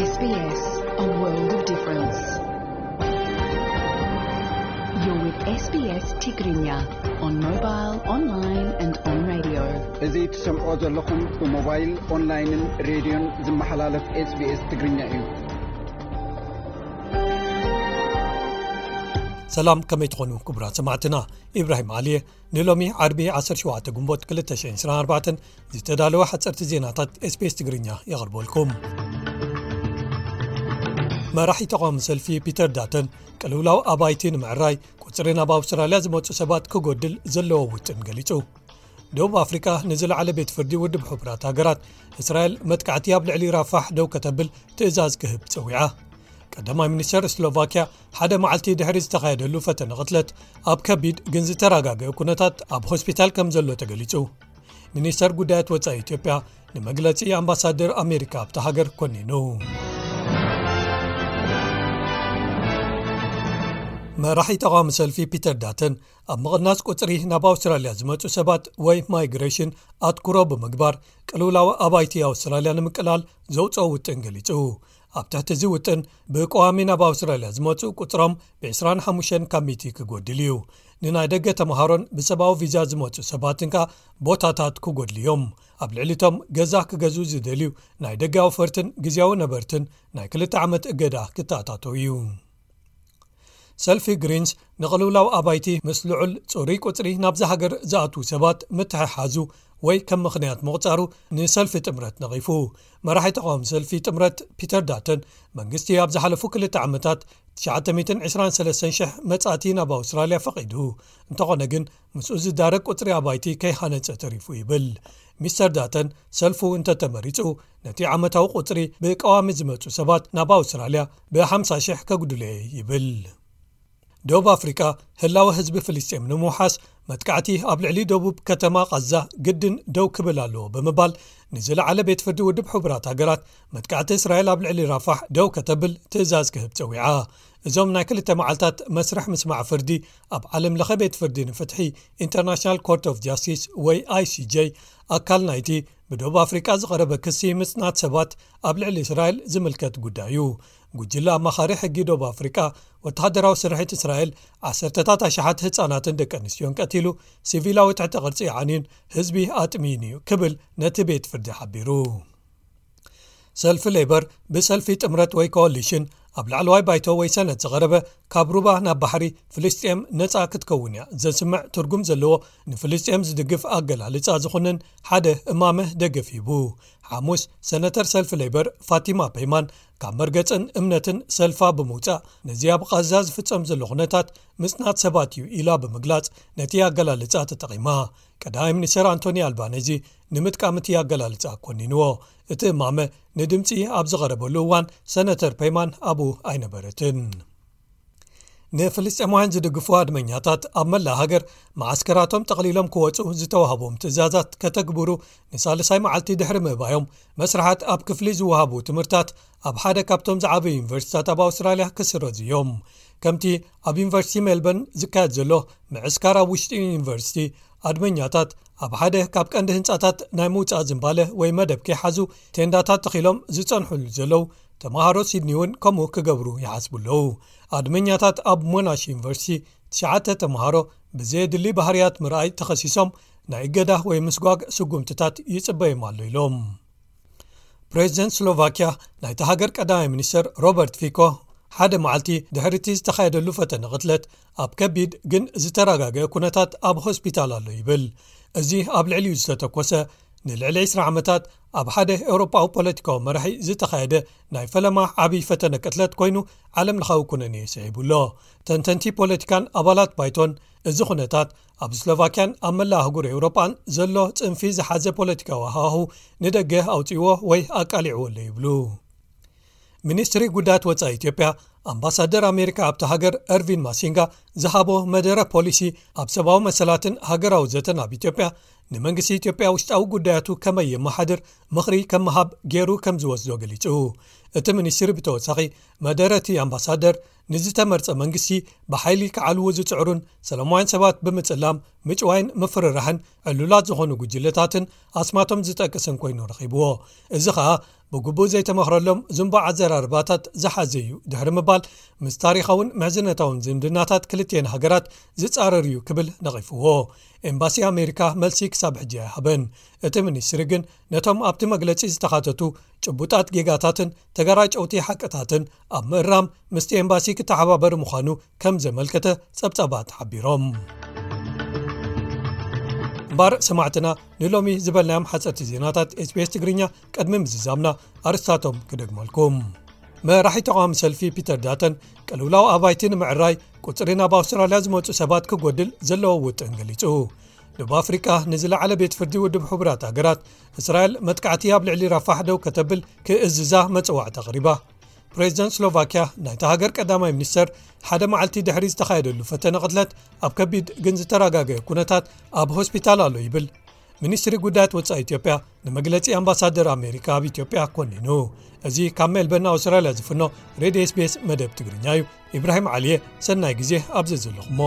S B S, a world of difference. You're with S B S Tigrinya on mobile, online and on radio. እዚ ትሰምዖ ዘለኹም ብሞባይል፣ ኦንላይንን ሬድዮን ዝመሓላለፍ SBS ትግርኛ እዩ። ሰላም፣ ከመይ ትኾኑ ክቡራት ሰማዕትና? ኢብራሂም ዓሊየ ንሎሚ ዓርቢ ዓሰርተ ሸውዓተ ግንቦት ክልተ ሽሕን ዕስራን ኣርባዕተን ዝተዳለወ ሓጸርቲ ዜናታት SBS ትግርኛ የቕርበልኩም። መራሒ ተቓዋሚ ሰልፊ ፒተር ዳተን ቅልውላው ኣባይቲ ንምዕራይ ቁጽሪ ናብ ኣውስትራልያ ዝመጹ ሰባት ክጎድል ዘለዎ ውጥን ገሊጹ። ደቡብ ኣፍሪቃ ንዝለዓለ ቤት ፍርዲ ውድብ ሕቡራት ሃገራት እስራኤል መጥቃዕቲ ኣብ ልዕሊ ራፋሕ ደው ከተብል ትእዛዝ ክህብ ጸዊዓ። ቀዳማይ ሚኒስተር ስሎቫኪያ ሓደ መዓልቲ ድሕሪ ዝተኻየደሉ ፈተነ ቅትለት ኣብ ከቢድ ግን ዝተረጋገአ ኩነታት ኣብ ሆስፒታል ከም ዘሎ ተገሊጹ። ሚኒስተር ጉዳያት ወጻኢ ኢትዮጵያ ንመግለጺ ኣምባሳደር ኣሜሪካ ኣብታ ሃገር ኮኒኑ። መራሒ ተቓዋሚ ሰልፊ ፒተር ዳተን ኣብ ምቕናስ ቁጽሪ ናብ ኣውስትራልያ ዝመጹ ሰባት ወይ ማይግሬሽን ኣትኩሮ ብምግባር ቅልውላው ኣባይቲ ኣውስትራልያ ንምቅላል ዘውጽኦ ውጥን ገሊጹ። ኣብ ትሕቲ እዚ ውጥን ብቀዋሚ ናብ ኣውስትራልያ ዝመጹ ቁጽሮም ብ ዕስራን ሓሙሽተን ካብ ሚእቲ ክጎድል እዩ። ንናይ ደገ ተምሃሮን ብሰብኣዊ ቪዛ ዝመጹ ሰባትን ከኣ ቦታታት ክጎድሉ እዮም። ኣብ ልዕሊቶም ገዛ ክገዝኡ ዝደልዩ ናይ ደገ ኣውፈርትን ግዝያዊ ነበርትን ናይ ክልተ ዓመት እገዳ ክተኣታተው እዩ። ሰልፊ ግሪንስ ንቕልውላው ኣባይቲ ምስ ልዑል ጽሩይ ቁጽሪ ናብዛ ሃገር ዝኣትዉ ሰባት ምትሕሓዙ ወይ ከም ምኽንያት ምቑጻሩ ንሰልፊ ጥምረት ነቒፉ። መራሒ ተቓዋሚ ሰልፊ ጥምረት ፒተር ዳተን መንግስቲ ኣብ ዝሓለፉ ክልተ ዓመታት ትሽዓተ ሚእትን ዕስራን ሰለስተን ሽሕ መጻእቲ ናብ ኣውስትራልያ ፈቒዱ፣ እንተኾነ ግን ምስኡ ዝዳረግ ቁጽሪ ኣባይቲ ከይሃነጸ ተሪፉ ይብል። ሚስተር ዳተን ሰልፉ እንተተመሪጹ ነቲ ዓመታዊ ቁጽሪ ብቀዋሚ ዝመጹ ሰባት ናብ ኣውስትራልያ ብ ሓምሳ ሽሕ ከጉድሎ እየ ይብል። ደቡብ ኣፍሪቃ ህላወ ህዝቢ ፍልስጤም ንምውሓስ መጥቃዕቲ ኣብ ልዕሊ ደቡብ ከተማ ቃዛ ግድን ደው ክብል ኣለዎ ብምባል ንዝለዓለ ቤት ፍርዲ ውድብ ሕቡራት ሃገራት መጥቃዕቲ እስራኤል ኣብ ልዕሊ ራፋሕ ደው ከተብል ትእዛዝ ክህብ ጸዊዓ። እዞም ናይ ክልተ መዓልታት መስርሕ ምስማዕ ፍርዲ ኣብ ዓለም ለኸ ቤት ፍርዲ ንፍትሒ ኢንተርናሽናል ኮርት ኦፍ ጃስቲስ ወይ I C J ኣካል ናይቲ ብደቡብ ኣፍሪቃ ዝቐረበ ክሲ ምጽናት ሰባት ኣብ ልዕሊ እስራኤል ዝምልከት ጉዳይ እዩ። ጉጅለ ኣማኻሪ ሕጊ ደቡብ ኣፍሪቃ ወተሃደራዊ ስርሒት እስራኤል ዓሰርተታት ኣሽሓት ህጻናትን ደቂ ኣንስትዮን ቀቲሉ፣ ሲቪላዊ ትሕተ ቅርጺ ዓንዩን ህዝቢ ኣጥሚዩን እዩ ክብል ነቲ ቤት ፍርዲ ሓቢሩ። ሰልፊ ሌበር ብሰልፊ ጥምረት ወይ ኮሊሽን ኣብ ላዕለዋይ ባይቶ ወይ ሰነት ዝቐረበ ካብ ሩባ ናብ ባሕሪ ፍልስጤም ነጻ ክትከውን እያ ዘስምዕ ትርጉም ዘለዎ ንፍልስጤም ዝድግፍ ኣገላልጻ ዝኾነን ሓደ እማመ ደገፍ ሂቡ። ሓሙስ ሰነተር ሰልፊ ሌበር ፋቲማ ፔይማን ካብ መርገጽን እምነትን ሰልፋ ብምውጻእ ነዚ ኣብ ቃዛ ዝፍጸም ዘሎ ኩነታት ምጽናት ሰባት እዩ ኢላ ብምግላጽ ነቲ ኣገላልጻ ተጠቒማ። ቀዳማይ ሚኒስተር ኣንቶኒ ኣልባነዚ ንምጥቃም እቲ ኣገላልጻ ኮኒንዎ። እቲ እማመ ንድምጺ ኣብ ዝቐረበሉ እዋን ሰነተር ፔይማን ኣብኡ ኣይነበረትን። ንፍልስጤማውያን ዝድግፉ ኣድመኛታት ኣብ መላእ ሃገር መዓስከራቶም ጠቕሊሎም ክወጹ ዝተዋህቦም ትእዛዛት ከተግብሩ ንሳልሳይ መዓልቲ ድሕሪ ምእባዮም መስርሓት ኣብ ክፍሊ ዝወሃቡ ትምህርታት ኣብ ሓደ ካብቶም ዝዓበዩ ዩኒቨርሲቲታት ኣብ ኣውስትራልያ ክስረዙ እዮም። ከምቲ ኣብ ዩኒቨርሲቲ ሜልበርን ዝካየድ ዘሎ ምዕስካር ኣብ ውሽጢ ዩኒቨርሲቲ ኣድመኛታት ኣብ ሓደ ካብ ቀንዲ ህንጻታት ናይ ምውጻእ ዝንባለ ወይ መደብ ከይሓዙ ቴንዳታት ተኺሎም ዝጸንሑሉ ዘለዉ ተምሃሮ ሲድኒ እውን ከምኡ ክገብሩ ይሓስቡ ኣለዉ። ኣድመኛታት ኣብ ሞናሽ ዩኒቨርሲቲ ትሽዓተ ተምሃሮ ብዘየድሊ ባህርያት ምርኣይ ተኸሲሶም ናይ እገዳ ወይ ምስጓግ ስጉምትታት ይጽበዮም ኣሎ ኢሎም። ፕሬዚደንት ስሎቫኪያ ናይታ ሃገር ቀዳማይ ሚኒስተር ሮበርት ፊኮ ሓደ መዓልቲ ድሕሪ እቲ ዝተኻየደሉ ፈተነ ቅትለት ኣብ ከቢድ ግን ዝተረጋገአ ኩነታት ኣብ ሆስፒታል ኣሎ ይብል። እዚ ኣብ ልዕሊኡ ዝተተኮሰ ንልዕሊ ዕስራ ዓመታት ኣብ ሓደ ኤውሮጳዊ ፖለቲካዊ መራሒ ዝተኻየደ ናይ ፈለማ ዓብዪ ፈተነ ቅትለት ኮይኑ ዓለም ለኻዊ ኩነኔ ስዒቡ ኣሎ። ተንተንቲ ፖለቲካን ኣባላት ባይቶን እዚ ኩነታት ኣብ ስሎቫኪያን ኣብ መላእ ኣህጉር ኤውሮጳን ዘሎ ጽንፊ ዝሓዘ ፖለቲካዊ ሃዋሁ ንደገ ኣውጺእዎ ወይ ኣቃሊዕዎ ኣሎ ይብሉ። ሚኒስትሪ ጉዳያት ወጻኢ ኢትዮጵያ ኣምባሳደር ኣሜሪካ ኣብታ ሃገር ኤርቪን ማሲንጋ ዝሃቦ መደረ ፖሊሲ ኣብ ሰብኣዊ መሰላትን ሃገራዊ ዘተን ኣብ ኢትዮጵያ ንመንግስቲ ኢትዮጵያ ውሽጣዊ ጉዳያቱ ከመይ የመሓድር ምኽሪ ከም ምሃብ ገይሩ ከም ዝወስዶ ገሊጹ። እቲ ሚኒስትሪ ብተወሳኺ መደረ እቲ ኣምባሳደር ንዝተመርጸ መንግስቲ ብሓይሊ ክዓልዉ ዝጽዕሩን ሰላማውያን ሰባት ብምጽላም ምጭዋይን ምፍርራሕን ዕሉላት ዝኾኑ ጉጅለታትን ኣስማቶም ዝጠቅስን ኮይኑ ረኺብዎ። እዚ ኸኣ ብግቡእ ዘይተመኽረሎም ዝንቡዕ ኣዘራርባታት ዝሓዘ እዩ ድሕሪ ምባል፣ ምስ ታሪኻውን ምሕዝነታውን ዝምድናታት ክልቲኤን ሃገራት ዝጻረር እዩ ክብል ነቒፍዎ። ኤምባሲ ኣሜሪካ መልሲ ክሳብ ሕጂ ኣይሃበን። እቲ ሚኒስትሪ ግን ነቶም ኣብቲ መግለጺ ዝተኻተቱ ጭቡጣት ጌጋታትን ተገራጨውቲ ሓቅታትን ኣብ ምእራም ምስቲ ኤምባሲ ክተሓባበር ምዃኑ ከም ዘመልከተ ጸብጻባት ሓቢሮም። እምበር ሰማዕትና፣ ንሎሚ ዝበልናዮም ሓጸርቲ ዜናታት ኤስቢኤስ ትግርኛ ቅድሚ ምዝዛምና ኣርስታቶም ክደግመልኩም። መራሒ ተቓዋሚ ሰልፊ ፒተር ዳተን ቅልውላው ኣባይቲ ንምዕራይ ቁጽሪ ናብ ኣውስትራልያ ዝመጹ ሰባት ክጎድል ዘለዎ ውጥን ገሊጹ። ደቡብ ኣፍሪቃ ንዝለዓለ ቤት ፍርዲ ውድብ ሕቡራት ሃገራት እስራኤል መጥቃዕቲ ኣብ ልዕሊ ራፋሕ ደው ከተብል ክእዝዛ መጽዋዕታ ኣቕሪባ። ፕሬዚደንት ስሎቫኪያ ናይታ ሃገር ቀዳማይ ሚኒስተር ሓደ መዓልቲ ድሕሪ ዝተኻየደሉ ፈተነ ቅትለት ኣብ ከቢድ ግን ዝተረጋገየ ኩነታት ኣብ ሆስፒታል ኣሎ ይብል። ሚኒስትሪ ጉዳያት ወጻኢ ኢትዮጵያ ንመግለጺ ኣምባሳደር ኣሜሪካ ኣብ ኢትዮጵያ ኮኒኑ። እዚ ካብ ሜልበርን ኣውስትራልያ ዝፍኖ ሬድዮ ኤስቢኤስ መደብ ትግርኛ እዩ። ኢብራሂም ዓሊየ፣ ሰናይ ግዜ ኣብዚ ዘለኹሞ።